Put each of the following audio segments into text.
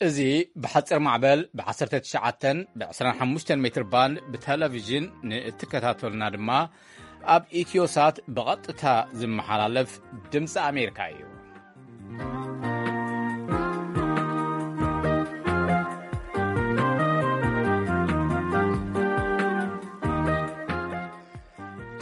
እዚ ብሓጺር ማዕበል ብ19 ብ25 ሜትር ባንድ ብቴሌቪዥን ንእትከታተሉና ድማ ኣብ ኢትዮሳት ብቐጥታ ዝመሓላለፍ ድምፂ ኣሜሪካ እዩ።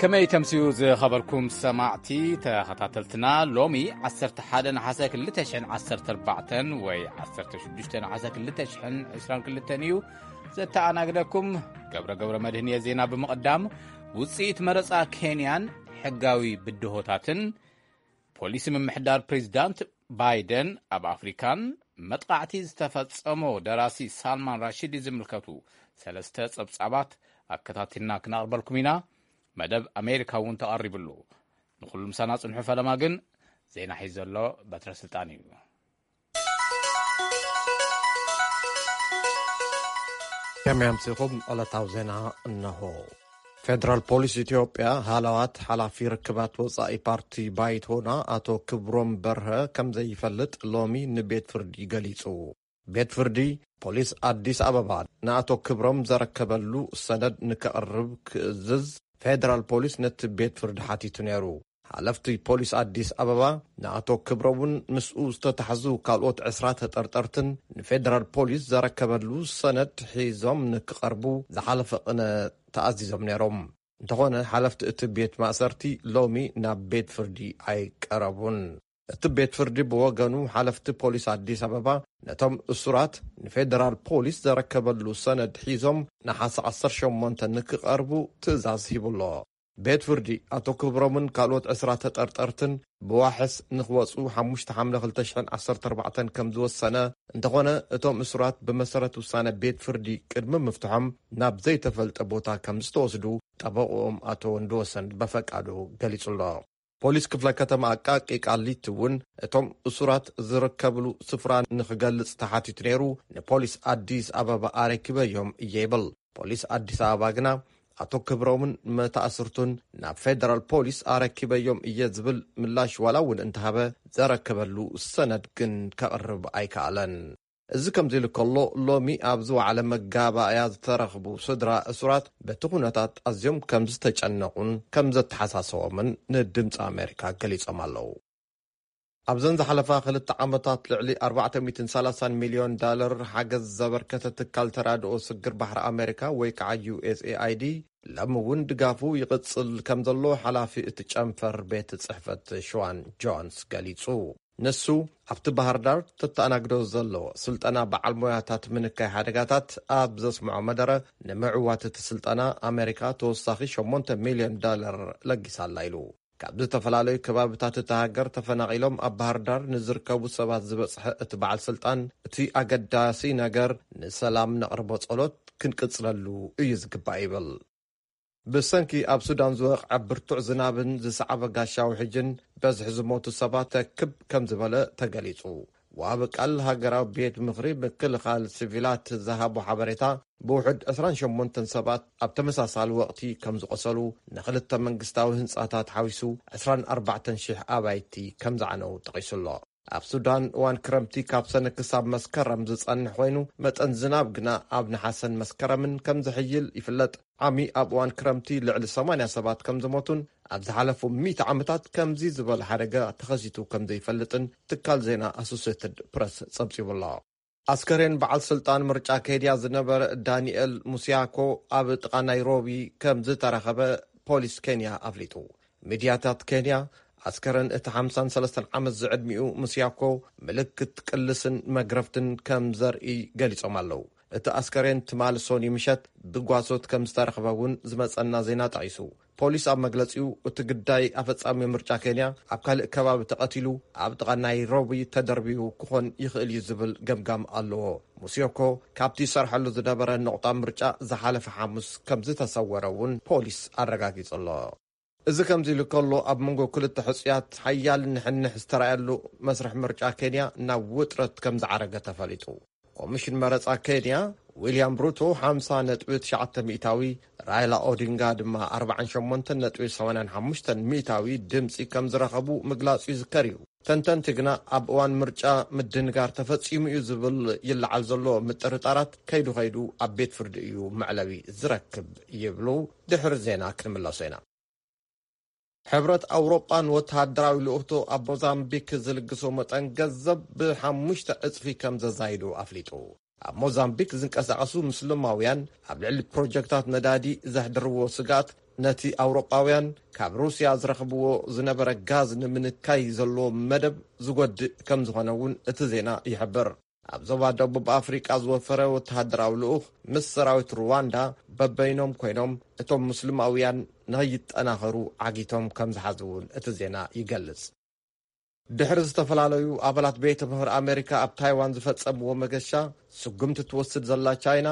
ከመይ ተምስዩ ዝኸበርኩም ሰማዕቲ ተኸታተልትና፣ ሎሚ 11 ነሓሰ 2014 ወይ 16 ነሓሰ 2022 እዩ። ዘተኣናግደኩም ገብረ ገብረ መድህን እየ። ዜና ብምቕዳም፣ ውፅኢት መረፃ ኬንያን ሕጋዊ ብድሆታትን፣ ፖሊሲ ምምሕዳር ፕሬዚዳንት ባይደን ኣብ ኣፍሪካን መጥቃዕቲ ዝተፈጸሞ ደራሲ ሳልማን ራሽዲ ዝምልከቱ ሰለስተ ጸብጻባት ኣከታቲልና ክነቕርበልኩም ኢና። መደብ ኣሜሪካ እውን ተቐሪብሉ። ንኹሉ ምሳና ጽንሑ። ፈለማ ግን ዜና ሒዙ ዘሎ በትረ ስልጣን እዩ። ከመይ ኣምሲኹም? ዕለታዊ ዜና እነሆ። ፌደራል ፖሊስ ኢትዮጵያ ሃለዋት ሓላፊ ርክባት ወጻኢ ፓርቲ ባይቶና ኣቶ ክብሮም በርሀ ከም ዘይፈልጥ ሎሚ ንቤት ፍርዲ ገሊጹ። ቤት ፍርዲ ፖሊስ ኣዲስ ኣበባ ንኣቶ ክብሮም ዘረከበሉ ሰነድ ንከቕርብ ክእዝዝ ፌደራል ፖሊስ ነቲ ቤት ፍርዲ ሓቲቱ ነይሩ። ሓለፍቲ ፖሊስ ኣዲስ ኣበባ ንኣቶ ክብሮምን ምስኡ ዝተታሕዙ ካልኦት ዕስራ ተጠርጠርትን ንፌደራል ፖሊስ ዘረከበሉ ሰነድ ሒዞም ንክቐርቡ ዝሓለፈ ቅነ ተኣዚዞም ነይሮም። እንተኾነ ሓለፍቲ እቲ ቤት ማእሰርቲ ሎሚ ናብ ቤት ፍርዲ ኣይቀረቡን። እቲ ቤት ፍርዲ ብወገኑ ሓለፍቲ ፖሊስ ኣዲስ ኣበባ ነቶም እሱራት ንፌደራል ፖሊስ ዘረከበሉ ሰነድ ሒዞም ነሓሰ 18 ንክቐርቡ ትእዛዝ ሂቡሎ። ቤት ፍርዲ ኣቶ ክብሮምን ካልኦት ዕስራ ተጠርጠርትን ብዋሕስ ንክወፁ ሓሙሽተ ሓምለ 2014 ከም ዝወሰነ፣ እንተኾነ እቶም እሱራት ብመሰረት ውሳነ ቤት ፍርዲ ቅድሚ ምፍትሖም ናብ ዘይተፈልጠ ቦታ ከም ዝተወስዱ ጠበቆኦም ኣቶ ወንድወሰን በፈቃዱ ገሊጹ ኣሎ። ፖሊስ ክፍለ ከተማ ኣቃቂ ቃሊቲ እውን እቶም እሱራት ዝርከብሉ ስፍራ ንክገልጽ ተሓቲቱ ነይሩ፣ ንፖሊስ ኣዲስ ኣበባ ኣረኪበዮም እየ ይብል። ፖሊስ ኣዲስ ኣበባ ግና ኣቶ ክብሮምን መተኣስርቱን ናብ ፌደራል ፖሊስ ኣረኪበዮም እየ ዝብል ምላሽ ዋላ እውን እንተሃበ፣ ዘረከበሉ ሰነድ ግን ከቕርብ ኣይከኣለን። እዚ ከምዚ ኢሉ ከሎ፣ ሎሚ ኣብ ዝወዓለ መጋባእያ ዝተረኽቡ ስድራ እሱራት በቲ ኩነታት ኣዝዮም ከም ዝተጨነቑን ከም ዘተሓሳሰቦምን ንድምፂ ኣሜሪካ ገሊጾም ኣለዉ። ኣብዘን ዝሓለፋ ክልተ ዓመታት ልዕሊ 430 ሚልዮን ዳለር ሓገዝ ዘበርከተ ትካል ተራድኦ ስግር ባሕሪ ኣሜሪካ ወይ ከዓ ዩኤስኤኣይዲ ሎሚ እውን ድጋፉ ይቕጽል ከም ዘሎ ሓላፊ እቲ ጨንፈር ቤት ጽሕፈት ሽዋን ጆንስ ገሊጹ። ንሱ ኣብቲ ባህር ዳር ተተኣናግዶ ዘሎ ስልጠና በዓል ሞያታት ምንካይ ሓደጋታት ኣብ ዘስምዖ መደረ፣ ንምዕዋት እቲ ስልጠና ኣሜሪካ ተወሳኺ 8 ሚልዮን ዳለር ለጊሳላ ኢሉ። ካብ ዝተፈላለዩ ከባብታት እታ ሃገር ተፈናቒሎም ኣብ ባህር ዳር ንዝርከቡ ሰባት ዝበጽሐ እቲ በዓል ስልጣን፣ እቲ ኣገዳሲ ነገር ንሰላም ነቕርቦ ጸሎት ክንቅጽለሉ እዩ ዝግባእ ይብል። ብሰንኪ ኣብ ሱዳን ዝወቕዐ ብርቱዕ ዝናብን ዝሰዓበ ጋሻዊ ሕጅን በዝሒ ዝሞቱ ሰባት ተክብ ከም ዝበለ ተገሊጹ። ወሃቢ ቃል ሃገራዊ ቤት ምኽሪ ምክልኻል ሲቪላት ዝሃቦ ሓበሬታ፣ ብውሑድ 28 ሰባት ኣብ ተመሳሳሊ ወቕቲ ከም ዝቖሰሉ፣ ንክልተ መንግስታዊ ህንጻታት ሓዊሱ 24,000 ኣባይቲ ከም ዝዓነው ጠቒሱ ኣሎ። ኣብ ሱዳን እዋን ክረምቲ ካብ ሰነ ክሳብ መስከረም ዝጸንሕ ኮይኑ፣ መጠን ዝናብ ግና ኣብ ነሓሰን መስከረምን ከም ዝሕይል ይፍለጥ። ዓሚ ኣብ እዋን ክረምቲ ልዕሊ 80 ሰባት ከም ዝሞቱን ኣብ ዝሓለፉ ሚእቲ ዓመታት ከምዚ ዝበለ ሓደጋ ተኸሲቱ ከም ዘይፈልጥን ትካል ዜና ኣሶሴትድ ፕረስ ጸብጺቡ ኣሎ። ኣስከሬን በዓል ስልጣን ምርጫ ኬንያ ዝነበረ ዳንኤል ሙሲያኮ ኣብ ጥቓ ናይሮቢ ከም ዝተረኸበ ፖሊስ ኬንያ ኣፍሊጡ። ሚድያታት ኬንያ ኣስከረን እቲ 53 ዓመት ዝዕድሚኡ ሙሲያኮ ምልክት ቅልስን መግረፍትን ከም ዘርኢ ገሊጾም ኣለዉ። እቲ ኣስከሬን ትማሊ ሶኒ ምሸት ብጓሶት ከም ዝተረኽበ እውን ዝመጸና ዜና ጠቒሱ። ፖሊስ ኣብ መግለጺኡ፣ እቲ ግዳይ ኣፈጻሚ ምርጫ ኬንያ ኣብ ካልእ ከባቢ ተቐቲሉ ኣብ ጥቓ ናይሮቢ ተደርቢዩ ክኾን ይኽእል እዩ ዝብል ገምጋም ኣለዎ። ሙሲዮኮ ካብቲ ይሰርሐሉ ዝነበረ ነቑጣ ምርጫ ዝሓለፈ ሓሙስ ከም ዝተሰወረ እውን ፖሊስ ኣረጋጊጹ ኣሎ። እዚ ከምዚ ኢሉ ከሎ፣ ኣብ መንጎ ክልተ ሕጹያት ሓያል ንሕንሕ ዝተራእየሉ መስርሕ ምርጫ ኬንያ ናብ ውጥረት ከም ዝዓረገ ተፈሊጡ። ኮሚሽን መረጻ ኬንያ ዊልያም ሩቶ 50.9 ሚእታዊ፣ ራይላ ኦዲንጋ ድማ ኣርባዓን ሸሞንተን ነጥቢ ሰማንያን ሓሙሽተን ሚእታዊ ድምፂ ከም ዝረኸቡ ምግላፁ ይዝከር እዩ። ተንተንቲ ግና ኣብ እዋን ምርጫ ምድንጋር ተፈፂሙ እዩ ዝብል ይለዓል ዘሎ ምጥርጣራት ከይዱ ከይዱ ኣብ ቤት ፍርዲ እዩ መዕለቢ ዝረክብ ይብሉ። ድሕሪ ዜና ክንምለሶ ኢና። ሕብረት ኣውሮጳ ንወተሃደራዊ ልኡኽቶ ኣብ ሞዛምቢክ ዝልግሶ መጠን ገንዘብ ብሓሙሽተ ዕጽፊ ከም ዘዛይዱ ኣፍሊጡ። ኣብ ሞዛምቢክ ዝንቀሳቐሱ ምስልማውያን ኣብ ልዕሊ ፕሮጀክታት ነዳዲ ዘሕድርዎ ስግኣት፣ ነቲ ኣውሮጳውያን ካብ ሩስያ ዝረኽብዎ ዝነበረ ጋዝ ንምንካይ ዘለዎ መደብ ዝጎድእ ከም ዝኾነ እውን እቲ ዜና ይሕብር። ኣብ ዞባ ደቡብ ኣፍሪቃ ዝወፈረ ወተሃደራዊ ልኡኽ ምስ ሰራዊት ሩዋንዳ በበይኖም ኮይኖም እቶም ሙስሊማውያን ንኸይጠናኸሩ ዓጊቶም ከም ዝሓዙ እውን እቲ ዜና ይገልጽ። ድሕሪ ዝተፈላለዩ ኣባላት ቤተ ምኽሪ ኣሜሪካ ኣብ ታይዋን ዝፈጸምዎ መገሻ፣ ስጉምቲ ትወስድ ዘላ ቻይና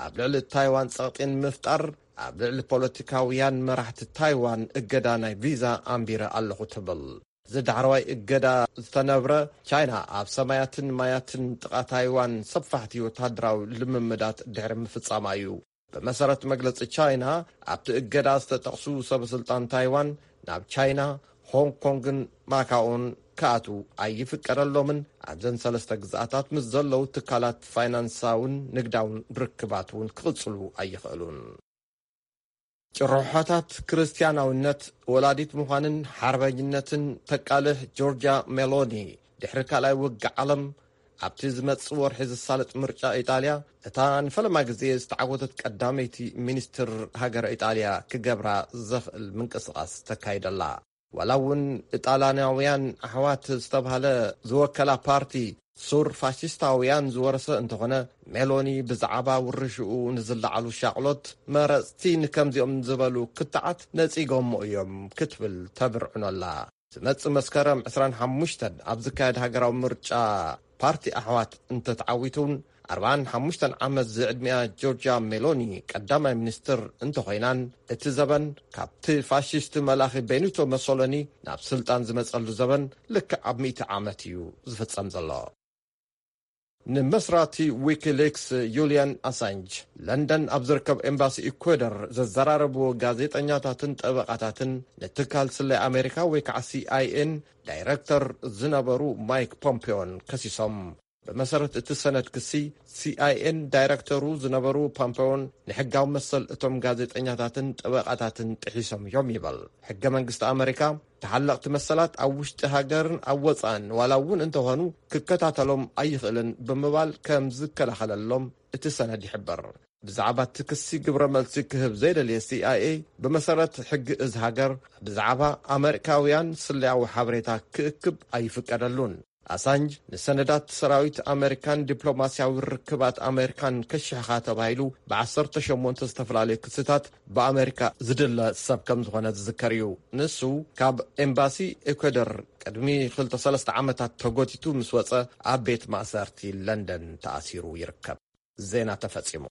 ኣብ ልዕሊ ታይዋን ጸቕጢ ንምፍጣር ኣብ ልዕሊ ፖለቲካውያን መራሕቲ ታይዋን እገዳ ናይ ቪዛ ኣንቢረ ኣለኹ ትብል። እዚ ዳሕረዋይ እገዳ ዝተነብረ፣ ቻይና ኣብ ሰማያትን ማያትን ጥቓ ታይዋን ሰፋሕቲ ወተሃደራዊ ልምምዳት ድሕሪ ምፍጻማ እዩ። ብመሰረት መግለጺ ቻይና፣ ኣብቲ እገዳ ዝተጠቕሱ ሰበስልጣን ታይዋን ናብ ቻይና፣ ሆንግ ኮንግን ማካኦን ክኣትዉ ኣይፍቀደሎምን። ኣብዘን ሰለስተ ግዝኣታት ምስ ዘለዉ ትካላት ፋይናንሳውን ንግዳውን ርክባት እውን ክቕጽሉ ኣይኽእሉን። ጭርሖታት ክርስትያናውነት፣ ወላዲት ምዃንን ሓርበኝነትን ተቃልሕ ጆርጃ ሜሎኒ፣ ድሕሪ ካልኣይ ውግእ ዓለም ኣብቲ ዝመጽእ ወርሒ ዝሳለጥ ምርጫ ኢጣልያ፣ እታ ንፈለማ ግዜ ዝተዓወተት ቀዳመይቲ ሚኒስትር ሃገረ ኢጣልያ ክገብራ ዘኽእል ምንቅስቓስ ተካይደላ። ዋላ እውን ኢጣልያናውያን ኣሕዋት ዝተባህለ ዝወከላ ፓርቲ ሱር ፋሽስታውያን ዝወረሰ እንተኾነ፣ ሜሎኒ ብዛዕባ ውርሽኡ ንዝለዓሉ ሻቕሎት መረጽቲ ንከምዚኦም ዝበሉ ክትዓት ነጺጎሞ እዮም ክትብል ተብርዕኖ ኣላ። ዝመጽእ መስከረም ዕስራን ሓሙሽተን ኣብ ዝካየድ ሃገራዊ ምርጫ ፓርቲ ኣሕዋት እንተተዓዊቱ እውን፣ ኣርባዓን ሓሙሽተን ዓመት ዝዕድሚኣ ጆርጃ ሜሎኒ ቀዳማይ ሚኒስትር እንተኾይናን፣ እቲ ዘበን ካብቲ ፋሽስት መላኺ ቤኒቶ መሶሎኒ ናብ ስልጣን ዝመጸሉ ዘበን ልክዕ ኣብ ሚእቲ ዓመት እዩ ዝፍጸም ዘሎ። ንመስራቲ ዊኪሊክስ ዩልያን ኣሳንጅ፣ ለንደን ኣብ ዝርከብ ኤምባሲ ኢኳዶር ዘዘራረብዎ ጋዜጠኛታትን ጠበቓታትን፣ ንትካል ስለያ ኣሜሪካ ወይ ከዓ ሲኣይኤን ዳይረክተር ዝነበሩ ማይክ ፖምፔዮን ከሲሶም። ብመሰረት እቲ ሰነድ ክሲ፣ ሲኣይኤን ዳይረክተሩ ዝነበሩ ፖምፔዮን ንሕጋዊ መሰል እቶም ጋዜጠኛታትን ጠበቓታትን ጥሒሶም እዮም ይበል። ሕገ መንግስቲ ኣሜሪካ፣ ተሓለቕቲ መሰላት ኣብ ውሽጢ ሃገርን ኣብ ወጻእን ዋላ እውን እንተኾኑ ክከታተሎም ኣይኽእልን ብምባል ከም ዝከላኸለሎም እቲ ሰነድ ይሕብር። ብዛዕባ እቲ ክሲ ግብረ መልሲ ክህብ ዘይደልየ ሲኣይኤ፣ ብመሰረት ሕጊ እዚ ሃገር ብዛዕባ ኣመሪካውያን ስለያዊ ሓበሬታ ክእክብ ኣይፍቀደሉን። ኣሳንጅ ንሰነዳት ሰራዊት ኣመሪካን ዲፕሎማስያዊ ርክባት ኣመሪካን ከሽሕኻ ተባሂሉ ብዓሰርተ ሸሞንተ ዝተፈላለዩ ክስታት ብኣመሪካ ዝድለ ሰብ ከም ዝኾነ ዝዝከር እዩ። ንሱ ካብ ኤምባሲ ኤኳዶር ቅድሚ ክልተ ሰለስተ ዓመታት ተጎቲቱ ምስ ወጸ ኣብ ቤት ማእሰርቲ ለንደን ተኣሲሩ ይርከብ። ዜና ተፈጺሙ።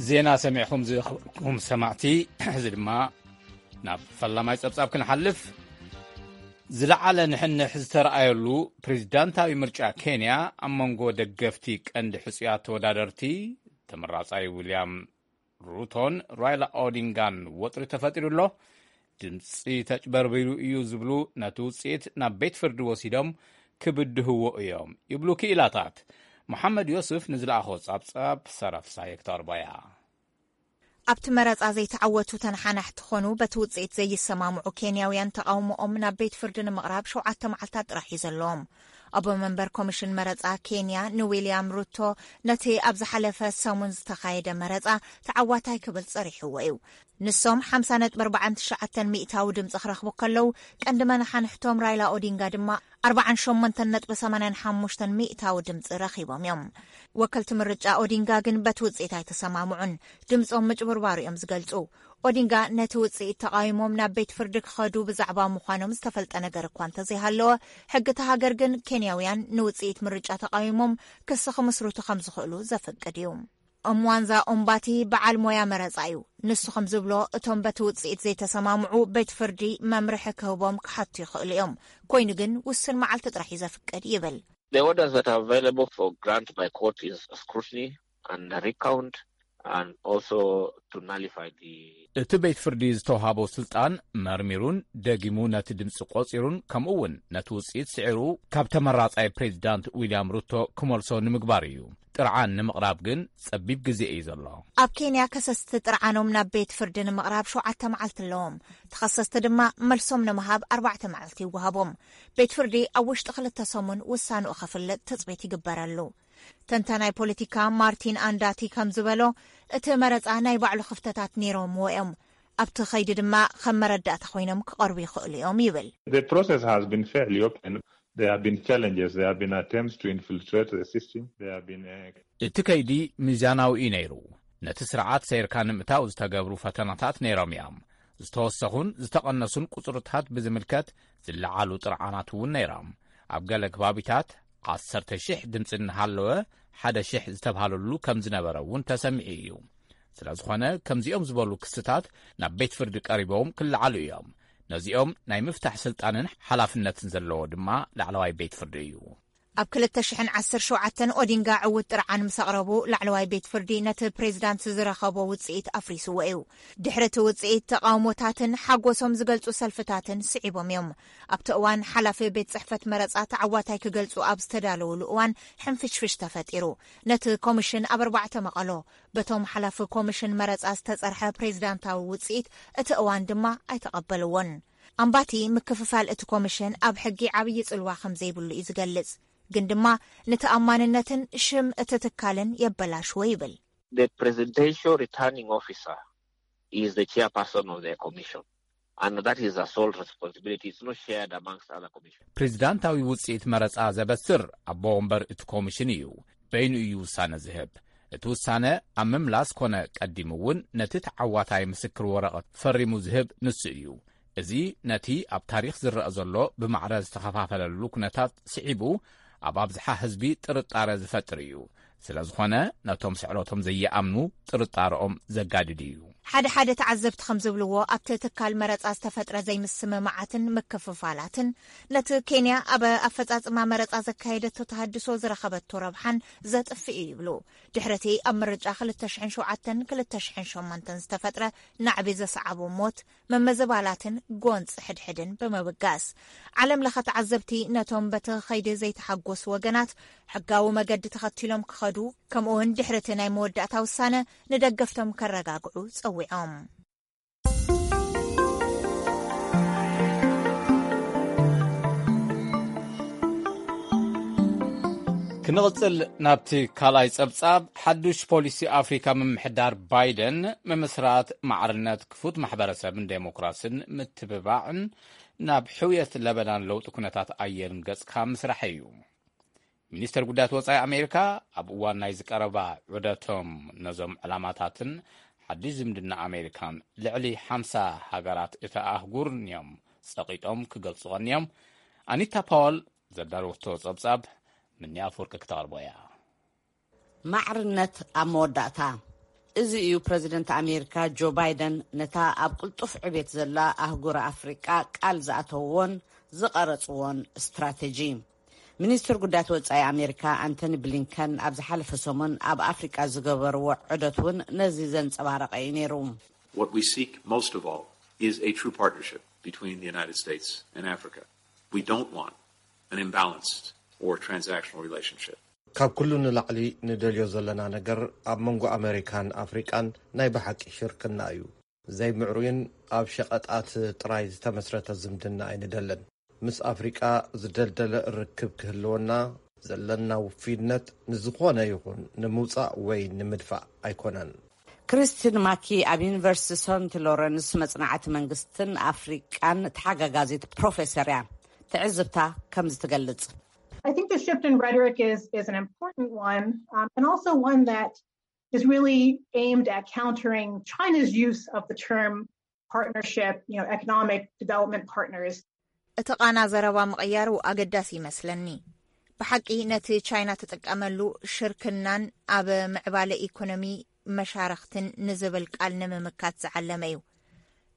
ዜና ሰሚዕኹም ዝኸበርኩም ሰማዕቲ፣ እዚ ድማ ናብ ፈላማይ ጸብጻብ ክንሓልፍ። ዝለዓለ ንሕንሕ ዝተረኣየሉ ፕሬዝዳንታዊ ምርጫ ኬንያ ኣብ መንጎ ደገፍቲ ቀንዲ ሕጹያት ተወዳደርቲ ተመራጻይ ዊልያም ሩቶን ራይላ ኦዲንጋን ወጥሪ ተፈጢሩ ኣሎ። ድምፂ ተጭበርቢሩ እዩ ዝብሉ ነቲ ውፅኢት ናብ ቤት ፍርዲ ወሲዶም ክብድህዎ እዮም ይብሉ ክኢላታት። መሓመድ ዮስፍ ንዝለኣኾ ጻብጻብ ሰራፍሳይ ክተቕርቦ እያ። ኣብቲ መረጻ ዘይተዓወቱ ተነሓናሕቲ ኾኑ በቲ ውጽኢት ዘይሰማምዑ ኬንያውያን ተቓውሞኦም ናብ ቤት ፍርዲ ንምቕራብ ሸውዓተ መዓልታት ጥራሕ እዩ ዘለዎም። ኣቦ መንበር ኮሚሽን መረጻ ኬንያ ንዊልያም ሩቶ ነቲ ኣብ ዝሓለፈ ሰሙን ዝተኻየደ መረጻ ተዓዋታይ ክብል ጸሪሕዎ እዩ። ንሶም ሓምሳ ነጥቢ ኣርባዓን ትሽዓተን ሚእታዊ ድምጺ ክረኽቡ ከለዉ፣ ቀንዲ መነሓንሕቶም ራይላ ኦዲንጋ ድማ ኣርባዓን ሸሞንተን ነጥቢ ሰማንያን ሓሙሽተን ሚእታዊ ድምጺ ረኺቦም እዮም። ወከልቲ ምርጫ ኦዲንጋ ግን በቲ ውጽኢት ኣይተሰማምዑን። ድምጾም ምጭብርባሩ እዮም ዝገልጹ። ኦዲንጋ ነቲ ውጽኢት ተቓዊሞም ናብ ቤት ፍርዲ ክኸዱ ብዛዕባ ምዃኖም ዝተፈልጠ ነገር እኳ እንተዘይሃለወ፣ ሕጊ እታ ሃገር ግን ኬንያውያን ንውጽኢት ምርጫ ተቓዊሞም ክሲ ክምስርቱ ከም ዝኽእሉ ዘፍቅድ እዩ። ኦምዋንዛ ኦምባቲ በዓል ሞያ መረጻ እዩ። ንሱ ከም ዝብሎ፣ እቶም በቲ ውጽኢት ዘይተሰማምዑ ቤት ፍርዲ መምርሒ ክህቦም ክሓቱ ይኽእሉ እዮም። ኮይኑ ግን ውስን መዓልቲ ጥራሕ እዩ ዘፍቅድ ይብል። The orders that are available for grant by court is scrutiny and recount and also to nullify the እቲ ቤት ፍርዲ ዝተውሃቦ ስልጣን መርሚሩን ደጊሙ ነቲ ድምፂ ቆፂሩን ከምኡ እውን ነቲ ውፅኢት ስዒሩ ካብ ተመራፃይ ፕሬዚዳንት ዊልያም ሩቶ ክመልሶ ንምግባር እዩ። ጥርዓን ንምቕራብ ግን ጸቢብ ግዜ እዩ ዘሎ። ኣብ ኬንያ ከሰስቲ ጥርዓኖም ናብ ቤት ፍርዲ ንምቕራብ ሸውዓተ መዓልቲ ኣለዎም። ተኸሰስቲ ድማ መልሶም ንምሃብ ኣርባዕተ መዓልቲ ይወሃቦም። ቤት ፍርዲ ኣብ ውሽጢ ክልተ ሰሙን ውሳንኡ ከፍልጥ ትጽቢት ይግበረሉ። ተንታናይ ፖለቲካ ማርቲን ኣንዳቲ ከም ዝበሎ፣ እቲ መረጻ ናይ ባዕሉ ክፍተታት ነይሮምዎ እዮም። ኣብቲ ኸይዲ ድማ ከም መረዳእታ ኮይኖም ክቐርቡ ይኽእሉ እዮም ይብል። The process has been fairly open. There have been challenges. There have been attempts to infiltrate the system. There have been uh, እቲ ከይዲ ሚዛናዊ እዩ ነይሩ። ነቲ ስርዓት ሰይርካ ንምእታው ዝተገብሩ ፈተናታት ነይሮም እዮም። ዝተወሰኹን ዝተቐነሱን ቁጽርታት ብዝምልከት ዝለዓሉ ጥርዓናት እውን ነይሮም። ኣብ ገለ ከባቢታት ዓሰርተ ሺሕ ድምፂ እናሃለወ ሓደ ሺሕ ዝተብሃለሉ ከም ዝነበረ እውን ተሰሚዑ እዩ። ስለ ዝኾነ ከምዚኦም ዝበሉ ክስታት ናብ ቤት ፍርዲ ቀሪቦም ክለዓሉ እዮም። ነዚኦም ናይ ምፍታሕ ስልጣንን ሓላፍነትን ዘለዎ ድማ ላዕለዋይ ቤት ፍርዲ እዩ። ኣብ ክልተ ሽሕን ዓሰርተ ሸውዓተን ኦዲንጋ ዕዉት ጥርዓን ምስ ኣቕረቡ፣ ላዕለዋይ ቤት ፍርዲ ነቲ ፕሬዚዳንት ዝረኸቦ ውጽኢት ኣፍሪስዎ እዩ። ድሕሪ እቲ ውጽኢት፣ ተቓውሞታትን ሓጎሶም ዝገልጹ ሰልፍታትን ስዒቦም እዮም። ኣብቲ እዋን፣ ሓላፊ ቤት ጽሕፈት መረጻ ተዓዋታይ ክገልጹ ኣብ ዝተዳለውሉ እዋን፣ ሕንፍሽፍሽ ተፈጢሩ። ነቲ ኮሚሽን ኣብ ኣርባዕተ መቐሎ። በቶም ሓላፊ ኮሚሽን መረጻ ዝተጸርሐ ፕሬዚዳንታዊ ውጽኢት፣ እቲ እዋን ድማ ኣይተቐበልዎን። ኣምባቲ፣ ምክፍፋል እቲ ኮሚሽን ኣብ ሕጊ ዓብዪ ጽልዋ ከም ዘይብሉ እዩ ዝገልጽ። ግን ድማ ንተኣማንነትን ሽም እቲ ትካልን የበላሽዎ ይብል። The presidential returning officer is the chairperson of the commission, and that is a sole responsibility. It's not shared amongst other commissions. ፕሬዚዳንታዊ ውጽኢት መረጻ ዘበስር ኣቦ ወንበር እቲ ኮሚሽን እዩ። በይኑ እዩ ውሳነ ዝህብ። እቲ ውሳነ ኣብ ምምላስ ኮነ ቀዲሙ እውን ነቲ ተዓዋታይ ምስክር ወረቐት ፈሪሙ ዝህብ ንሱ እዩ። እዚ ነቲ ኣብ ታሪኽ ዝረኣ ዘሎ ብማዕረ ዝተኸፋፈለሉ ኩነታት ስዒቡ፣ ኣብ ኣብዝሓ ህዝቢ ጥርጣረ ዝፈጥር እዩ። ስለ ዝኾነ፣ ነቶም ስዕረቶም ዘይኣምኑ ጥርጣረኦም ዘጋድድ እዩ። ሓደ ሓደ ተዓዘብቲ ከም ዝብልዎ፣ ኣብቲ ትካል መረጻ ዝተፈጥረ ዘይምስምማዓትን ምክፍፋላትን፣ ነቲ ኬንያ ኣብ ኣፈጻጽማ መረጻ ዘካየደቶ ተሃድሶ ዝረኸበቶ ረብሓን ዘጥፍእ እዩ ይብሉ። ድሕሪ እቲ ኣብ ምርጫ ክልተ ሽሕን ሸውዓተን ክልተ ሽሕን ሸሞንተን ዝተፈጥረ ናዕቢ ዘሰዓቦ ሞት፣ ምምዝባላትን ጎንፂ ሕድሕድን ብምብጋስ፣ ዓለም ለኸ ተዓዘብቲ ነቶም በቲ ኸይዲ ዘይተሓጎሱ ወገናት ሕጋዊ መገዲ ተኸቲሎም ክኸዱ፣ ከምኡ እውን ድሕሪ እቲ ናይ መወዳእታ ውሳነ ንደገፍቶም ከረጋግዑ ጸዊዖም። ክንቕጽል ናብቲ ካልኣይ ጸብጻብ። ሓዱሽ ፖሊሲ ኣፍሪካ ምምሕዳር ባይደን፣ ምምስራት ማዕርነት፣ ክፉት ማሕበረሰብን ዴሞክራስን ምትብባዕን ናብ ሕውየት ለበናን ለውጢ ኩነታት ኣየርን ገጽካ ምስራሕ እዩ። ሚኒስተር ጉዳያት ወጻኢ ኣሜሪካ ኣብ እዋን ናይ ዝቀረባ ዑደቶም ነዞም ዕላማታትን ሓድሽ ዝምድና ኣሜሪካን ልዕሊ ሓምሳ ሃገራት እታ ኣህጉርን እዮም ጸቒጦም ክገልጹ ቀንዮም። ኣኒታ ፓወል ዘዳለወቶ ጸብጻብ ምንያ ኣፍወርቂ ክተቕርቦ እያ። ማዕርነት ኣብ መወዳእታ። እዚ እዩ ፕረዚደንት ኣሜሪካ ጆ ባይደን ነታ ኣብ ቅልጡፍ ዕቤት ዘላ ኣህጉር ኣፍሪቃ ቃል ዝኣተውዎን ዝቐረጽዎን ስትራተጂ። ሚኒስትር ጉዳያት ወጻኢ ኣሜሪካ ኣንቶኒ ብሊንከን ኣብ ዝሓለፈ ሰሙን ኣብ ኣፍሪቃ ዝገበርዎ ዑደት እውን ነዚ ዘንጸባረቐ እዩ ነይሩ። What we seek most of all is a true partnership between the United States and Africa. We don't want an imbalanced or transactional relationship. ካብ ኩሉ ንላዕሊ ንደልዮ ዘለና ነገር ኣብ መንጎ ኣመሪካን ኣፍሪቃን ናይ ብሓቂ ሽርክና እዩ። ዘይምዕሩይን ኣብ ሸቐጣት ጥራይ ዝተመስረተ ዝምድና ኣይንደልን። ምስ ኣፍሪቃ ዝደልደለ ርክብ ክህልወና ዘለና ውፍይነት ንዝኾነ ይኹን ንምውጻእ ወይ ንምድፋእ ኣይኮነን። ክሪስቲን ማኪ ኣብ ዩኒቨርሲቲ ሰንት ሎረንስ መጽናዕቲ መንግስትን ኣፍሪቃን ተሓጋጋዚት ፕሮፌሰር እያ። ትዕዝብታ ከምዚ ትገልጽ። I think the shift in rhetoric is, is an important one, um, and also one that is really aimed at countering China's use of the term partnership, you know, economic development partners. እቲ ቃና ዘረባ ምቕያሩ ኣገዳሲ ይመስለኒ። ብሓቂ ነቲ ቻይና ትጥቀመሉ ሽርክናን ኣብ ምዕባለ ኢኮኖሚ መሻርኽትን ንዝብል ቃል ንምምካት ዝዓለመ እዩ።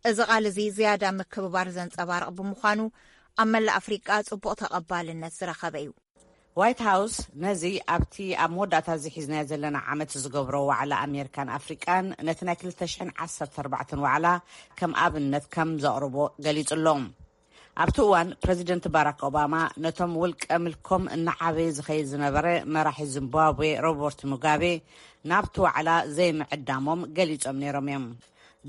እዚ ቃል እዚ ዝያዳ ምክብባር ዘንጸባርቕ ብምዃኑ ኣብ መላእ ኣፍሪቃ ጽቡቕ ተቐባልነት ዝረኸበ እዩ። ዋይት ሃውስ ነዚ ኣብቲ ኣብ መወዳእታ እዚ ሒዝናዮ ዘለና ዓመት ዝገብሮ ዋዕላ ኣሜሪካን ኣፍሪቃን ነቲ ናይ ክልተ ሽሕን ዓሰርተ ኣርባዕተን ዋዕላ ከም ኣብነት ከም ዘቕርቦ ገሊጹ ኣሎ። ኣብቲ እዋን ፕረዚደንት ባራክ ኦባማ ነቶም ውልቀ ምልኮም እናዓበየ ዝኸይድ ዝነበረ መራሒ ዚምባብዌ ሮበርት ሙጋቤ ናብቲ ዋዕላ ዘይምዕዳሞም ገሊጾም ነይሮም እዮም።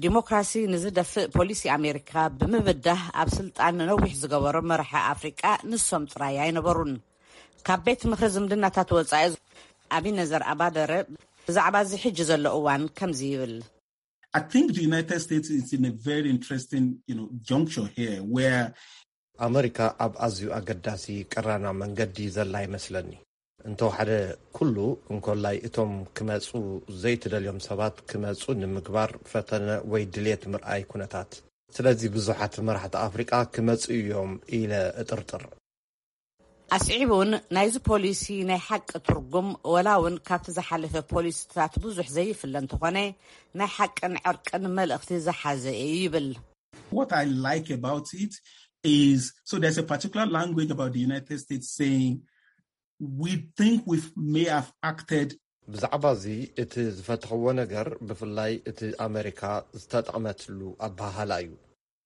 ዲሞክራሲ ንዝደፍእ ፖሊሲ ኣሜሪካ ብምብዳህ ኣብ ስልጣን ነዊሕ ዝገበሩ መራሒ ኣፍሪቃ ንሶም ጥራይ ኣይነበሩን። ካብ ቤት ምኽሪ ዝምድናታት ወጻኢ ኣቢነዘር ኣባደረ ብዛዕባ እዚ ሕጂ ዘሎ እዋን ከምዚ ይብል። I think the United States is in a very interesting, you know, juncture here where ኣመሪካ ኣብ ኣዝዩ ኣገዳሲ ቀራና መንገዲ ዘላ ይመስለኒ። እንተወሓደ ኩሉ እንኮላይ እቶም ክመጹ ዘይትደልዮም ሰባት ክመጹ ንምግባር ፈተነ ወይ ድሌት ምርኣይ ኩነታት። ስለዚ ብዙሓት መራሕቲ ኣፍሪቃ ክመጹ እዮም ኢለ እጥርጥር። ኣስዒቡ እውን ናይዚ ፖሊሲ ናይ ሓቂ ትርጉም ወላ እውን ካብቲ ዝሓለፈ ፖሊሲታት ብዙሕ ዘይፍለ እንተኾነ ናይ ሓቅን ዕርቅን መልእኽቲ ዝሓዘ እዩ ይብል። What I like about it is, so there's a particular language about the United States saying we think we may have acted ብዛዕባ እዚ እቲ ዝፈተኽዎ ነገር ብፍላይ እቲ ኣመሪካ ዝተጠቕመትሉ ኣበሃህላ እዩ።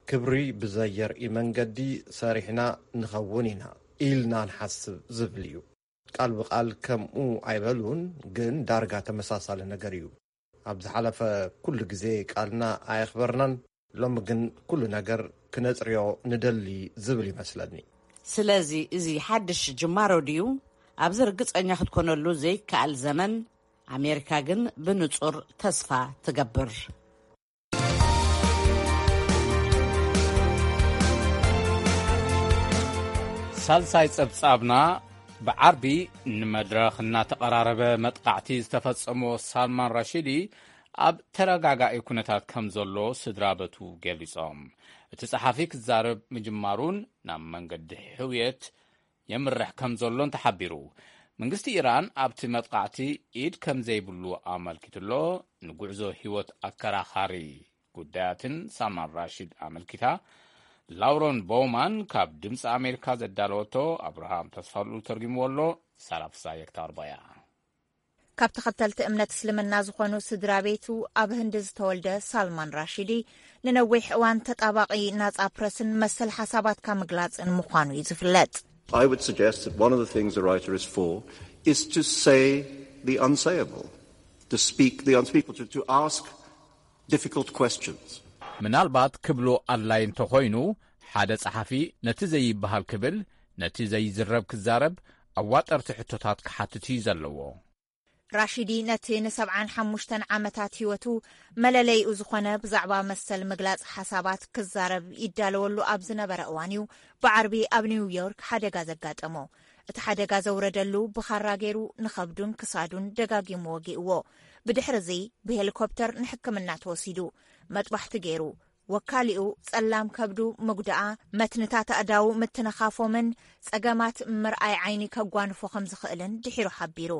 ክብሪ ብዘየርኢ መንገዲ ሰሪሕና ንኸውን ኢና ኢልና ንሓስብ ዝብል እዩ። ቃል ብቃል ከምኡ ኣይበሉን፣ ግን ዳርጋ ተመሳሳሊ ነገር እዩ። ኣብ ዝሓለፈ ኩሉ ግዜ ቃልና ኣየኽበርናን፣ ሎሚ ግን ኩሉ ነገር ክነጽርዮ ንደሊ ዝብል ይመስለኒ። ስለዚ እዚ ሓድሽ ጅማሮ ድዩ? ኣብዚ ርግጸኛ ክትኮነሉ ዘይከኣል ዘመን፣ ኣሜሪካ ግን ብንጹር ተስፋ ትገብር። ሳልሳይ ጸብጻብና፣ ብዓርቢ ንመድረኽ እናተቐራረበ መጥቃዕቲ ዝተፈጸሞ ሳልማን ራሺዲ ኣብ ተረጋጋኢ ኩነታት ከም ዘሎ ስድራ በቱ ገሊጾም። እቲ ጸሓፊ ክዛረብ ምጅማሩን ናብ መንገዲ ሕውየት የምርሕ ከም ዘሎን ተሓቢሩ። መንግስቲ ኢራን ኣብቲ መጥቃዕቲ ኢድ ከም ዘይብሉ ኣመልኪትሎ። ንጉዕዞ ህይወት ኣከራኻሪ ጉዳያትን ሳልማን ራሺድ ኣመልኪታ ላውረን ቦውማን ካብ ድምፂ ኣሜሪካ ዘዳለወቶ ኣብርሃም ተስፋሉ ተርጊምዎ ኣሎ። ሳላፍሳ የክታርባያ ካብ ተኸተልቲ እምነት እስልምና ዝኾኑ ስድራ ቤቱ ኣብ ህንዲ ዝተወልደ ሳልማን ራሺዲ ንነዊሕ እዋን ተጣባቒ ናጻ ፕረስን መሰል ሓሳባትካ ምግላጽን ምዃኑ እዩ ዝፍለጥ። I would suggest that one of the things a writer is for is to say the unsayable, to speak the unspeakable, to, to ask difficult questions. ምናልባት ክብሎ ኣድላይ እንተኾይኑ፣ ሓደ ጸሓፊ ነቲ ዘይበሃል ክብል፣ ነቲ ዘይዝረብ ክዛረብ፣ ኣዋጠርቲ ሕቶታት ክሓትት እዩ ዘለዎ። ራሺዲ ነቲ ንሰብዓን ሓሙሽተን ዓመታት ህይወቱ መለለይኡ ዝኾነ ብዛዕባ መሰል ምግላጽ ሓሳባት ክዛረብ ይዳለወሉ ኣብ ዝነበረ እዋን እዩ ብዓርቢ ኣብ ኒውዮርክ ሓደጋ ዘጋጠሞ። እቲ ሓደጋ ዘውረደሉ ብኻራ ገይሩ ንኸብዱን ክሳዱን ደጋጊሙ ወጊእዎ። ብድሕሪ እዚ ብሄሊኮፕተር ንሕክምና ተወሲዱ። መጥባሕቲ ገይሩ። ወካሊኡ ጸላም ከብዱ ምጉዳኣ፣ መትንታት ኣእዳዉ ምትንኻፎምን ጸገማት ምርኣይ ዓይኒ ከጓንፎ ከም ዝኽእልን ድሒሩ ሓቢሩ።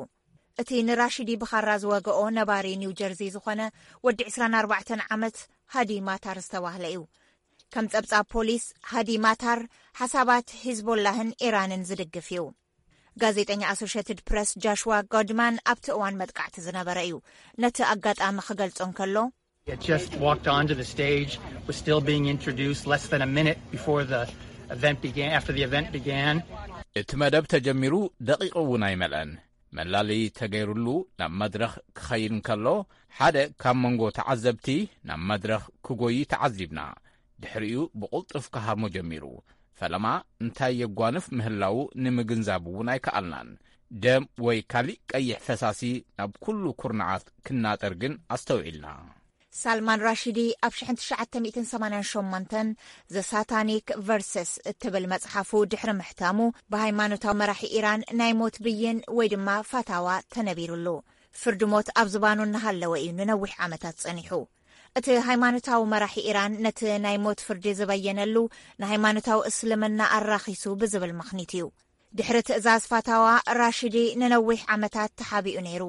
እቲ ንራሺዲ ብኻራ ዝወገኦ ነባሪ ኒው ጀርዚ ዝኾነ ወዲ ዕስራን ኣርባዕተን ዓመት ሃዲ ማታር ዝተባህለ እዩ። ከም ጸብጻብ ፖሊስ፣ ሃዲ ማታር ሓሳባት ሂዝቦላህን ኢራንን ዝድግፍ እዩ። ጋዜጠኛ ኣሶሽትድ ፕረስ ጃሽዋ ጎድማን ኣብቲ እዋን መጥቃዕቲ ዝነበረ እዩ። ነቲ ኣጋጣሚ ክገልጾ እንከሎ፣ It just walked onto the stage, was still being introduced less than a minute before the event began, after the event began. እቲ መደብ ተጀሚሩ ደቂቕ እውን ኣይመልአን፣ መላለዪ ተገይሩሉ ናብ መድረኽ ክኸይድ እንከሎ፣ ሓደ ካብ መንጎ ተዓዘብቲ ናብ መድረኽ ክጎዪ ተዓዚብና። ድሕሪኡ ብቕልጡፍ ክሃርሞ ጀሚሩ። ፈለማ እንታይ የጓንፍ ምህላዉ ንምግንዛብ እውን ኣይከኣልናን። ደም ወይ ካሊእ ቀይሕ ፈሳሲ ናብ ኩሉ ኩርናዓት ክናጠር ግን ኣስተውዒልና። ሳልማን ራሺዲ ኣብ ሽሕን ትሽዓተ ሚእትን ሰማንያን ሸሞንተን ዘ ሳታኒክ ቨርሰስ እትብል መጽሓፉ ድሕሪ ምሕታሙ፣ ብሃይማኖታዊ መራሒ ኢራን ናይ ሞት ብይን ወይ ድማ ፋታዋ ተነቢሩሉ። ፍርዲ ሞት ኣብ ዝባኑ እናሃለወ እዩ ንነዊሕ ዓመታት ጸኒሑ። እቲ ሃይማኖታዊ መራሒ ኢራን ነቲ ናይ ሞት ፍርዲ ዝበየነሉ ንሃይማኖታዊ እስልምና ኣራኺሱ ብዝብል ምኽኒት እዩ። ድሕሪ ትእዛዝ ፋታዋ፣ ራሺዲ ንነዊሕ ዓመታት ተሓቢኡ ነይሩ።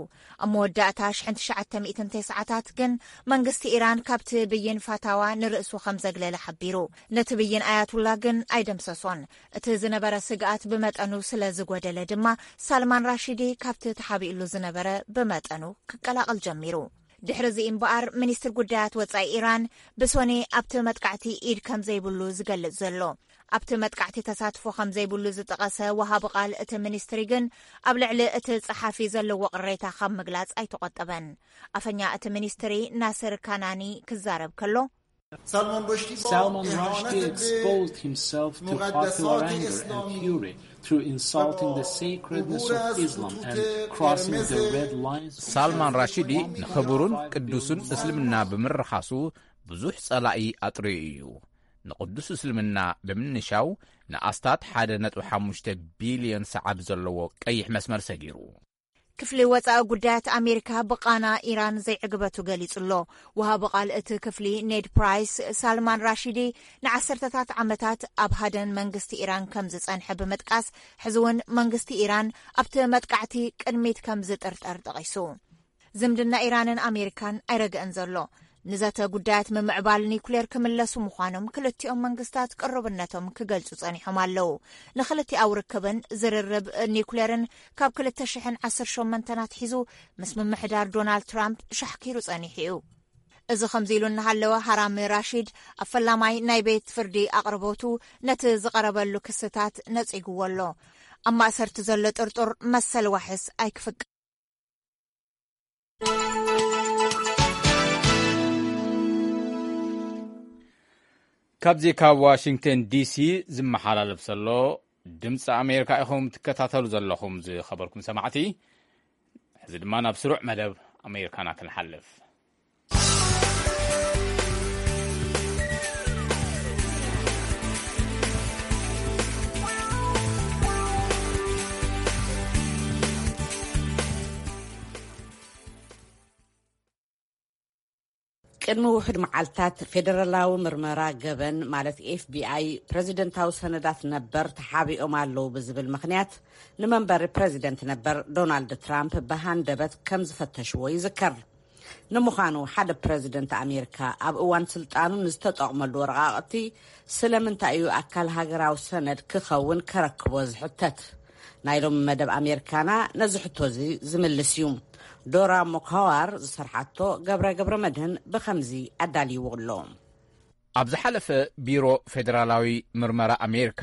ኣብ መወዳእታ ሽሕን ትሽዓተ ሚእትን ተስዓታት ግን መንግስቲ ኢራን ካብቲ ብይን ፋታዋ ንርእሱ ከም ዘግለለ ሓቢሩ። ነቲ ብይን ኣያቱላ ግን ኣይደምሰሶን። እቲ ዝነበረ ስግኣት ብመጠኑ ስለ ዝጎደለ ድማ ሳልማን ራሺዲ ካብቲ ተሓቢኡሉ ዝነበረ ብመጠኑ ክቀላቐል ጀሚሩ። ድሕሪ እዚ እምበኣር ሚኒስትር ጉዳያት ወጻኢ ኢራን ብሶኒ ኣብቲ መጥቃዕቲ ኢድ ከም ዘይብሉ ዝገልጽ ዘሎ። ኣብቲ መጥቃዕቲ ተሳትፎ ከም ዘይብሉ ዝጠቐሰ ወሃቢ ቃል እቲ ሚኒስትሪ ግን ኣብ ልዕሊ እቲ ጸሓፊ ዘለዎ ቅሬታ ካብ ምግላጽ ኣይተቖጠበን። ኣፈኛ እቲ ሚኒስትሪ ናስር ካናኒ ክዛረብ ከሎ፣ Salman Rushdie exposed himself to popular anger and fury through insulting the sacredness of Islam and crossing the red lines of ሳልማን ራሺዲ ንኽብሩን ቅዱሱን እስልምና ብምርኻሱ ብዙሕ ጸላኢ ኣጥርዩ እዩ። ንቕዱስ እስልምና ብምንሻው ንኣስታት ሓደ ነጥቢ ሓሙሽተ ቢልዮን ሰዓብ ዘለዎ ቀይሕ መስመር ሰጊሩ። ክፍሊ ወጻኢ ጉዳያት ኣሜሪካ ብቓና ኢራን ዘይዕግበቱ ገሊጹ ኣሎ። ወሃቢ ቃል እቲ ክፍሊ ኔድ ፕራይስ፣ ሳልማን ራሺዲ ንዓሰርተታት ዓመታት ኣብ ሃደን መንግስቲ ኢራን ከም ዝጸንሐ ብምጥቃስ፣ ሕዚ እውን መንግስቲ ኢራን ኣብቲ መጥቃዕቲ ቅድሚት ከም ዝጥርጠር ጠቒሱ። ዝምድና ኢራንን ኣሜሪካን ኣይረግእን ዘሎ። ንዘተ ጉዳያት ምምዕባል ኒኩሌር ክምለሱ ምዃኖም ክልቲኦም መንግስታት ቅሩብነቶም ክገልጹ ጸኒሖም ኣለዉ። ንክልቲኣዊ ርክብን ዝርርብ ኒኩሌርን ካብ ክልተ ሽሕን ዓሰርተ ሸሞንተን ኣትሒዙ ምስ ምምሕዳር ዶናልድ ትራምፕ ሻሕኪሩ ጸኒሑ እዩ። እዚ ከምዚ ኢሉ እናሃለወ፣ ሃራሚ ራሺድ ኣብ ፈላማይ ናይ ቤት ፍርዲ ኣቕርቦቱ ነቲ ዝቐረበሉ ክስታት ነጺግዎ ኣሎ። ኣብ ማእሰርቲ ዘሎ ጥርጡር መሰል ዋሕስ ኣይክፍቀ ካብዚ ካብ ዋሽንግተን ዲሲ ዝመሓላለፍ ዘሎ ድምፂ ኣሜሪካ ኢኹም ትከታተሉ ዘለኹም፣ ዝኸበርኩም ሰማዕቲ። ሕዚ ድማ ናብ ስሩዕ መደብ ኣሜሪካና ክንሓልፍ። ቅድሚ ውሑድ መዓልታት ፌደራላዊ ምርመራ ገበን ማለት ኤፍቢኣይ ፕረዚደንታዊ ሰነዳት ነበር ተሓቢኦም ኣለዉ ብዝብል ምኽንያት ንመንበሪ ፕረዚደንት ነበር ዶናልድ ትራምፕ ብሃንደበት ከም ዝፈተሽዎ ይዝከር። ንምዃኑ ሓደ ፕረዚደንት ኣሜሪካ ኣብ እዋን ስልጣኑ ንዝተጠቕመሉ ወረቓቕቲ ስለምንታይ እዩ ኣካል ሃገራዊ ሰነድ ክኸውን ከረክቦ ዝሕተት? ናይ ሎሚ መደብ ኣሜሪካና ነዚ ሕቶ እዚ ዝምልስ እዩ። ዶራ ሞካዋር ዝሰርሓቶ ገብረ ገብረ መድህን ብኸምዚ ኣዳልይዎ ኣሎ። ኣብ ዝሓለፈ ቢሮ ፌደራላዊ ምርመራ ኣሜሪካ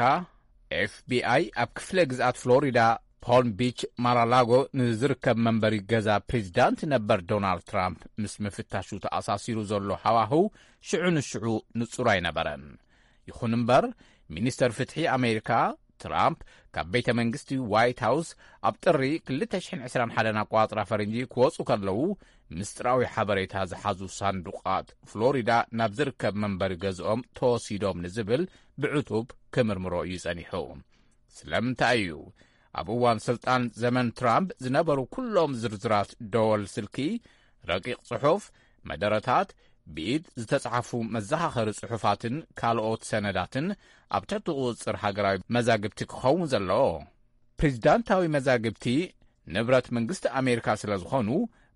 ኤፍቢኣይ ኣብ ክፍለ ግዝኣት ፍሎሪዳ ፖልም ቢች ማራላጎ ንዝርከብ መንበሪ ገዛ ፕሬዚዳንት ነበር ዶናልድ ትራምፕ ምስ ምፍታሹ ተኣሳሲሩ ዘሎ ሃዋህው ሽዑ ንሽዑ ንጹር ኣይነበረን። ይኹን እምበር ሚኒስተር ፍትሒ ኣሜሪካ ትራምፕ ካብ ቤተ መንግስቲ ዋይት ሃውስ ኣብ ጥሪ ክልተ ሽሕን ዕስራን ሓደን ኣቋጽራ ፈረንጂ ክወጹ ከለዉ ምስጢራዊ ሓበሬታ ዝሓዙ ሳንዱቓት ፍሎሪዳ ናብ ዝርከብ መንበሪ ገዝኦም ተወሲዶም ንዝብል ብዕቱብ ክምርምሮ እዩ ጸኒሑ። ስለምንታይ እዩ ኣብ እዋን ስልጣን ዘመን ትራምፕ ዝነበሩ ኩሎም ዝርዝራት ደወል ስልኪ፣ ረቂቕ ጽሑፍ፣ መደረታት፣ ብኢድ ዝተጻሕፉ መዘኻኸሪ ጽሑፋትን ካልኦት ሰነዳትን ኣብ ትሕቲ ቁጽጽር ሃገራዊ መዛግብቲ ክኸውን ዘለዎ? ፕሬዚዳንታዊ መዛግብቲ ንብረት መንግስቲ ኣሜሪካ ስለ ዝኾኑ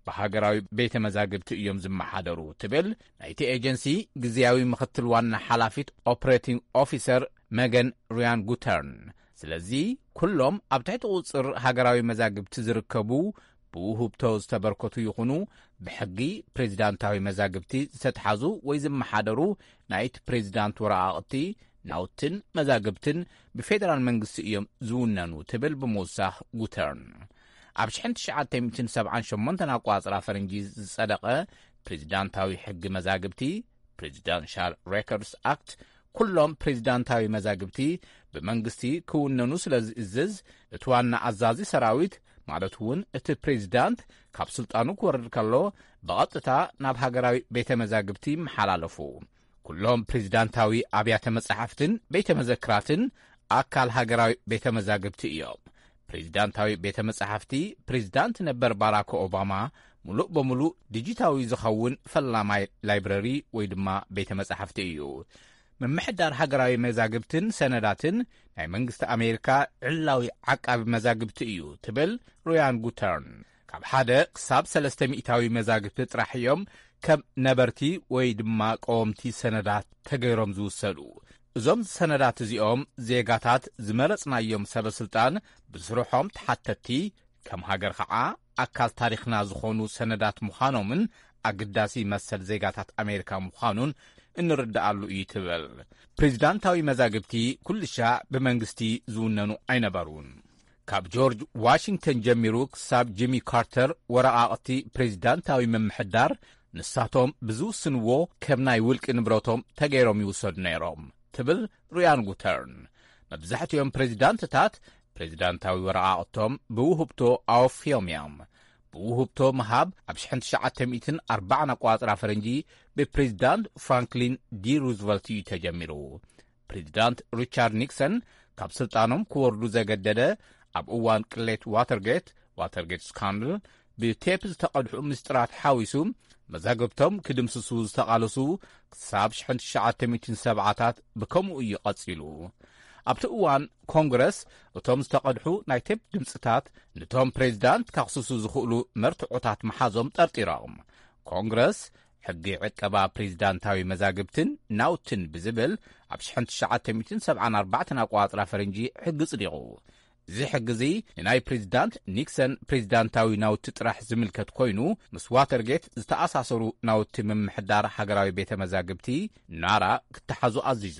ብሃገራዊ ቤተ መዛግብቲ እዮም ዝመሓደሩ ትብል ናይቲ ኤጀንሲ ግዝያዊ ምኽትል ዋና ሓላፊት ኦፕሬቲንግ ኦፊሰር መገን ሪያን ጉተርን። ስለዚ ኩሎም ኣብ ትሕቲ ቁጽር ሃገራዊ መዛግብቲ ዝርከቡ ብውህብቶ ዝተበርከቱ ይኹኑ ብሕጊ ፕሬዚዳንታዊ መዛግብቲ ዝተትሓዙ ወይ ዝመሓደሩ ናይቲ ፕሬዚዳንት ወረቓቕቲ ናውትን መዛግብትን ብፌደራል መንግስቲ እዮም ዝውነኑ ትብል ብምውሳኽ ጉተርን ኣብ ሽሕን ትሽዓተ ሚእትን ሰብዓን ሸሞንተን ኣቋጽራ ፈረንጂ ዝጸደቐ ፕሬዚዳንታዊ ሕጊ መዛግብቲ ፕሬዚዳንሻል ሬኮርድስ ኣክት ኩሎም ፕሬዚዳንታዊ መዛግብቲ ብመንግስቲ ክውነኑ ስለ ዝእዝዝ እቲ ዋና ኣዛዚ ሰራዊት ማለት እውን እቲ ፕሬዚዳንት ካብ ስልጣኑ ክወርድ ከሎ ብቐጥታ ናብ ሃገራዊ ቤተ መዛግብቲ ይመሓላለፉ። ኩሎም ፕሬዚዳንታዊ ኣብያተ መጻሕፍትን ቤተ መዘክራትን ኣካል ሃገራዊ ቤተ መዛግብቲ እዮም። ፕሬዚዳንታዊ ቤተ መጻሕፍቲ ፕሬዚዳንት ነበር ባራክ ኦባማ ሙሉእ በሙሉእ ዲጂታዊ ዝኸውን ፈላማይ ላይብረሪ ወይ ድማ ቤተ መጻሕፍቲ እዩ። ምምሕዳር ሃገራዊ መዛግብትን ሰነዳትን ናይ መንግስቲ ኣሜሪካ ዕላዊ ዓቃቢ መዛግብቲ እዩ ትብል ሩያን ጉተርን። ካብ ሓደ ክሳብ ሰለስተ ሚእታዊ መዛግብቲ ጥራሕ እዮም ከም ነበርቲ ወይ ድማ ቀወምቲ ሰነዳት ተገይሮም ዝውሰዱ። እዞም ሰነዳት እዚኦም ዜጋታት ዝመረጽናዮም ሰበ ስልጣን ብስርሖም ተሓተቲ፣ ከም ሃገር ኸዓ ኣካል ታሪኽና ዝኾኑ ሰነዳት ምዃኖምን ኣግዳሲ መሰል ዜጋታት ኣሜሪካ ምዃኑን እንርድኣሉ እዩ ትብል። ፕሬዚዳንታዊ መዛግብቲ ኩልሻዕ ብመንግስቲ ዝውነኑ ኣይነበሩን። ካብ ጆርጅ ዋሽንግተን ጀሚሩ ክሳብ ጂሚ ካርተር ወረቓቕቲ ፕሬዚዳንታዊ ምምሕዳር ንሳቶም ብዝውስንዎ ከም ናይ ውልቂ ንብረቶም ተገይሮም ይውሰዱ ነይሮም ትብል ሩያን ጉተርን። መብዛሕትኦም ፕሬዚዳንትታት ፕሬዚዳንታዊ ወረቓቕቶም ብውህብቶ ኣወፍዮም እዮም። ብውህብቶ ምሃብ ኣብ ሽሕን ትሽዓተ ሚእትን ኣርባዓን ኣቋጽራ ፈረንጂ ብፕሬዚዳንት ፍራንክሊን ዲ ሩዝቨልት እዩ ተጀሚሩ። ፕሬዚዳንት ሪቻርድ ኒክሰን ካብ ስልጣኖም ክወርዱ ዘገደደ ኣብ እዋን ቅሌት ዋተርጌት፣ ዋተርጌት ስካንድል፣ ብቴፕ ዝተቐድሑ ምስጢራት ሓዊሱ መዛግብቶም ክድምስሱ ዝተቓለሱ ክሳብ ሽሕን ትሽዓተ ሚእትን ሰብዓታት ብከምኡ እዩ ቀጺሉ። ኣብቲ እዋን ኮንግረስ እቶም ዝተቐድሑ ናይ ቴፕ ድምፅታት ነቶም ፕሬዚዳንት ከኽስሱ ዝኽእሉ መርትዖታት ምሓዞም ጠርጢሮም። ኮንግረስ ሕጊ ዕቀባ ፕሬዚዳንታዊ መዛግብትን ናውትን ብዝብል ኣብ ሽሕን ትሽዓተ ሚእትን ሰብዓን ኣርባዕተን ኣቋጽራ ፈረንጂ ሕጊ ጽዲቑ። እዚ ሕጊ እዚ ንናይ ፕሬዚዳንት ኒክሰን ፕሬዚዳንታዊ ናውቲ ጥራሕ ዝምልከት ኮይኑ፣ ምስ ዋተርጌት ዝተኣሳሰሩ ናውቲ ምምሕዳር ሃገራዊ ቤተ መዛግብቲ ናራ ክተሓዙ ኣዚዙ።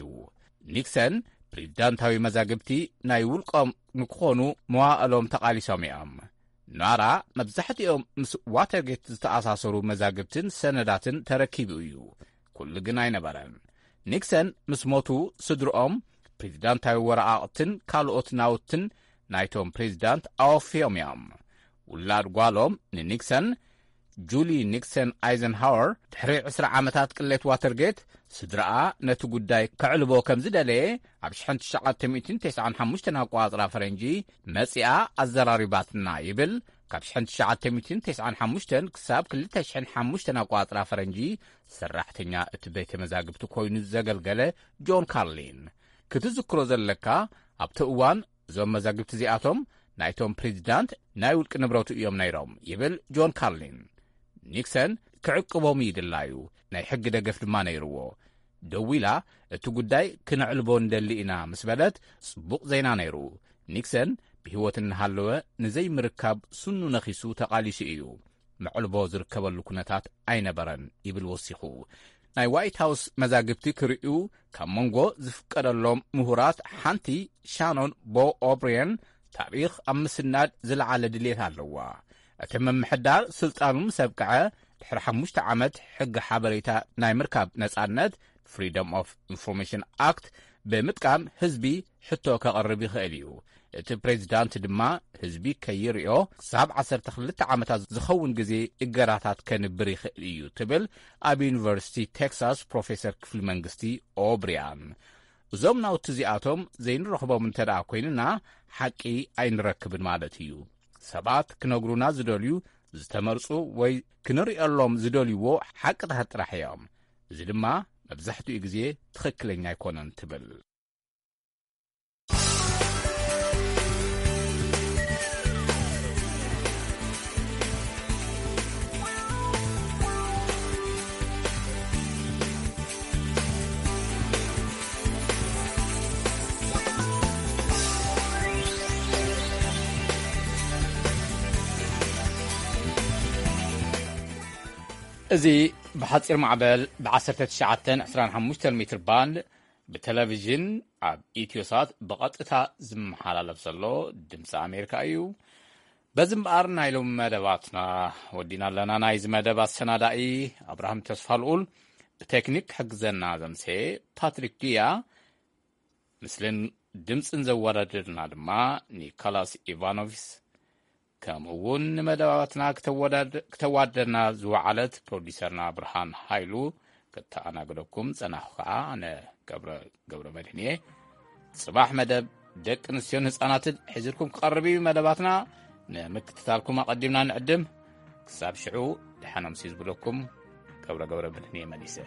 ኒክሰን ፕሬዚዳንታዊ መዛግብቲ ናይ ውልቆም ንክኾኑ መዋእሎም ተቓሊሶም እዮም። ናራ መብዛሕትኦም ምስ ዋተርጌት ዝተኣሳሰሩ መዛግብትን ሰነዳትን ተረኪቡ እዩ። ኩሉ ግን ኣይነበረን። ኒክሰን ምስ ሞቱ ስድርኦም ፕሬዚዳንታዊ ወረቓቕትን ካልኦት ናውትን ናይቶም ፕሬዚዳንት ኣወፍዮም እዮም። ውላድ ጓሎም ንኒክሰን ጁሊ ኒክሰን ኣይዘንሃወር ድሕሪ ዕስራ ዓመታት ቅሌት ዋተርጌት ስድራኣ ነቲ ጉዳይ ከዕልቦ ከም ዝደለየ ኣብ ሽሕን ትሽዓተ ሚእትን ተስዓን ሓሙሽተን ኣቋጽራ ፈረንጂ መጺኣ ኣዘራሪባትና ይብል። ካብ ሽሕን ትሽዓተ ሚእትን ተስዓን ሓሙሽተን ክሳብ ክልተ ሽሕን ሓሙሽተን ኣቋጽራ ፈረንጂ ሰራሕተኛ እቲ ቤተ መዛግብቲ ኮይኑ ዘገልገለ ጆን ካርሊን። ክትዝክሮ ዘለካ ኣብቲ እዋን እዞም መዛግብቲ እዚኣቶም ናይቶም ፕሬዚዳንት ናይ ውልቂ ንብረቱ እዮም ነይሮም ይብል ጆን ካርሊን። ኒክሰን ክዕቅቦም ይድላዩ ናይ ሕጊ ደገፍ ድማ ነይርዎ። ደዊላ እቲ ጉዳይ ክነዕልቦ ንደሊ ኢና ምስ በለት ጽቡቕ ዜና ነይሩ። ኒክሰን ብህይወት እናሃለወ ንዘይምርካብ ስኑ ነኺሱ ተቓሊሱ እዩ። መዕልቦ ዝርከበሉ ኩነታት ኣይነበረን ይብል ወሲኹ። ናይ ዋይት ሃውስ መዛግብቲ ክርእዩ ካብ መንጎ ዝፍቀደሎም ምሁራት ሓንቲ ሻኖን ቦ ኦብሪየን ታሪኽ ኣብ ምስናድ ዝለዓለ ድሌት ኣለዋ። እቲ ምምሕዳር ስልጣኑ ምስ ኣብቅዐ ድሕሪ ሓሙሽተ ዓመት ሕጊ ሓበሬታ ናይ ምርካብ ነጻነት ፍሪደም ኦፍ ኢንፎርሜሽን ኣክት ብምጥቃም ህዝቢ ሕቶ ከቕርብ ይኽእል እዩ። እቲ ፕሬዚዳንት ድማ ህዝቢ ከይርእዮ ክሳብ ዓሰርተ ክልተ ዓመታት ዝኸውን ግዜ እገዳታት ከንብር ይኽእል እዩ ትብል ኣብ ዩኒቨርሲቲ ቴክሳስ ፕሮፌሰር ክፍሊ መንግስቲ ኦብሪያን። እዞም ናውቲ እዚኣቶም ዘይንረኽቦም እንተ ደኣ ኮይንና ሓቂ ኣይንረክብን ማለት እዩ። ሰባት ክነግሩና ዝደልዩ ዝተመርጹ ወይ ክንርእየሎም ዝደልይዎ ሓቅታት ጥራሕ እዮም። እዚ ድማ መብዛሕትኡ ግዜ ትኽክለኛ ኣይኮነን ትብል። እዚ ብሓጺር ማዕበል ብ19 25 ሜትር ባንድ ብቴሌቪዥን ኣብ ኢትዮሳት ብቐጥታ ዝመሓላለፍ ዘሎ ድምፂ ኣሜሪካ እዩ። በዚ እምበኣር ናይ ሎሚ መደባትና ወዲና ኣለና። ናይዚ መደብ ኣሰናዳኢ ኣብርሃም ተስፋልኡል፣ ብቴክኒክ ክሕግዘና ዘምሰየ ፓትሪክ ድያ፣ ምስልን ድምፅን ዘወዳደርና ድማ ኒኮላስ ኢቫኖቪስ፣ ከምኡ እውን ንመደባትና ክተወዳድ-፣ ክተዋደና ዝወዓለት ፕሮዲሰርና ብርሃን ሃይሉ፣ ክተኣናግደኩም ጸናኹ ከኣ ኣነ ገብረ፣ ገብረ መድህን እየ። ጽባሕ መደብ ደቂ ኣንስትዮን ህጻናትን ሒዝልኩም ክቐርብ እዩ መደባትና። ንምክትታልኩም ኣቐዲምና ንዕድም። ክሳብ ሽዑ ደሓን ኣምስዩ ዝብለኩም ገብረ፣ ገብረ መድህን እየ መሊሰ።